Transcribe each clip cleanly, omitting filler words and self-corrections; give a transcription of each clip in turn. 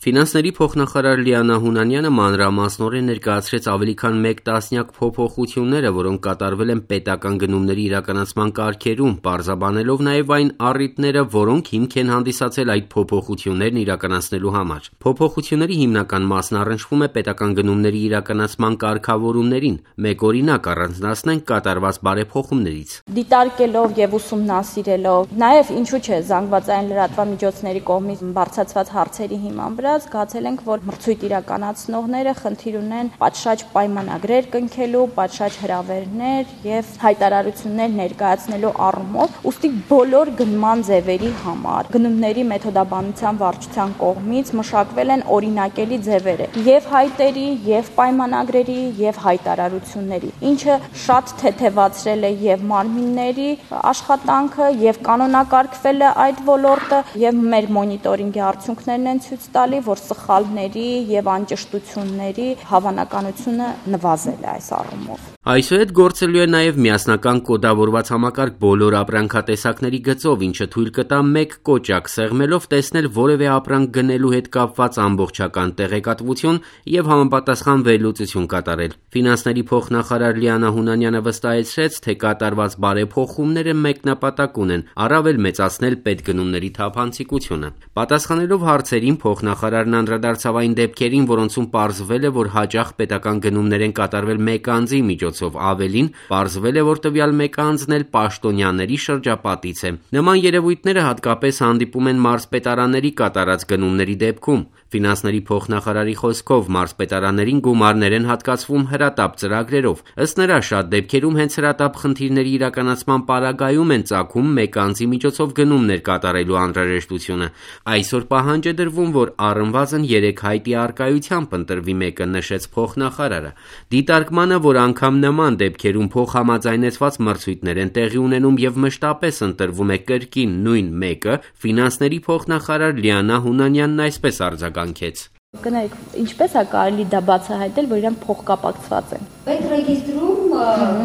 Ֆինանսների փոխնախարար Լիանա Հունանյանը մանրամասնորեն ներկայացրեց ավելի քան 1 տասնյակ փոփոխությունները, որոնք կատարվել են պետական գնումների իրականացման կարգերում, պարզաբանելով նաև այն առիթները, որոնք հիմք են հանդիսացել այդ փոփոխություններն իրականացնելու համար։ Փոփոխությունների հիմնական մասն առնչվում է պետական գնումների իրականացման կարգավորումներին։ Մեկ օրինակ առանձնացնենք կատարված բարեփոխումներից։ Դիտարկելով եւ ուսումնասիրելով, նաև ինչու՞ չէ զանգվածային լրատվամիջոցների կողմից բարձրացված հարցերի հիման վրա զգացել ենք, որ մրցույթ իրականացնողները խնդիր ունեն պատշաճ պայմանագրեր կնքելու, պատշաճ հրավերներ եւ հայտարարություններ ներկայացնելու առումով, ուստի բոլոր գնման ձևերի համար գնումների մեթոդաբանության վարչության կողմից մշակվել են օրինակելի ձևերը եւ հայտերի, եւ պայմանագրերի, եւ հայտարարությունների, ինչը շատ թեթևացրել է եւ մարմինների աշխատանքը, եւ կանոնակարգվել է այդ ոլորտը, եւ մեր մոնիտորինգի արդյունքներն են ցույց տալի, որ սխալների եւ անճշտությունների հավանականությունը նվազել է այս առումով։ Այսուհետ գործելու է նաև միասնական կոդավորված համակարգ բոլոր ապրանքատեսակների գծով, ինչը թույլ կտա մեկ կոճակ սեղմելով տեսնել որևէ ապրանք գնելու հետ կապված ամբողջական տեղեկատվություն եւ համապատասխան վերլուծություն կատարել։ Ֆինանսների փոխնախարար Լիանա Հունանյանը վստահեցրեց, թե կատարված բարեփոխումները մեկ նպատակ ունեն՝ առավել մեծացնել պետգնումների թափանցիկությունը։ Պատասխանելով հարցերին փոխնախարարն անդրադարձավ այն դեպքերին, որոնցում պարզվել է, որ հաճախ պետական գնումներ են կատարվել մեկ անձի միջոցով, ավելին պարզվել է, որ տվյալ մեկ անձն էլ պաշտոնյաների շրջապատից է։ Նման երևույթները հատկապես հանդիպում են մարզպետարանների կատարած գնումների դեպքում։ Ֆինանսների փոխնախարարի խոսքով մարզպետարաններին գումարներ են հատկացվում հրատապ ծրագրերով։ Ըստ նրա, շատ դեպքերում հենց հրատապ խնդիրների իրականացման պարագայում են ծագում մեկ անձի միջոցով գնումներ կատարելու անհրաժեշտությունը։ Այսօր պահանջ է դրվում, որ առնվազն 3 հայտի առկայությամբ ընտրվի մեկը, նշեց փոխնախարարը։ Դիտարկմանը, որ անգամ նման դեպքերում փոխհամաձայնեցված մրցույթներ են տեղի ունենում եւ մշտապես ընտրվում է կրկին նույն մեկը, ֆինանսների փոխնախարար Լիանա Հունանյանն այսպես արձագանքեց. Գնայք, ինչպես է կարելի դա բացահայտել, որ իրենք փոխկապակցված են։ Պետրեգիստրում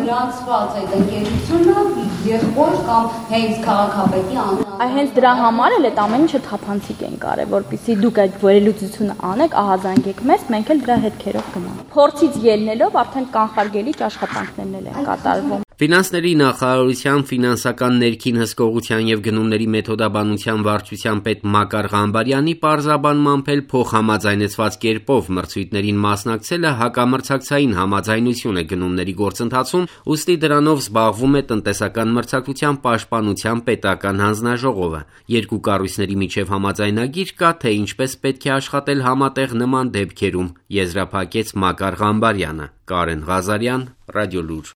գրանցված այդ ընկերությունը եղբոր կամ հենց քաղաքապետի անունը։ Հենց դրա համար էլ այդ ամեն ինչը թափանցիկ են կարել, որպեսզի դուք այդ վերլուծությունը անեք, ահազանգեք մեզ, մենք էլ դրա հետքերով գնանք։ Փորձից ելնելով արդեն կանխարգելիչ աշխատանքներն են կատարվում։ Ֆինանսների նախարարության ֆինանսական ներքին հսկողության եւ գնումների մեթոդաբանության վարչության պետ Մակար Ղամբարյանի պարզաբանմամբ էլ փոխհամաձայնեցված կերպով մրցույթներին մասնակցելը հակամրցակցային համաձայնություն է գնումների գործընթացում, ուստի դրանով զբաղվում է տնտեսական մրցակցության պաշտպանության պետական հանձնաժողովը։ Երկու կառույցների միջև համաձայնագիր կա, թե ինչպես պետք է աշխատել համատեղ նման դեպքերում, եզրափակեց Մակար Ղամբարյանը։ Կարեն Ղազարյան, Ռադիոլուր։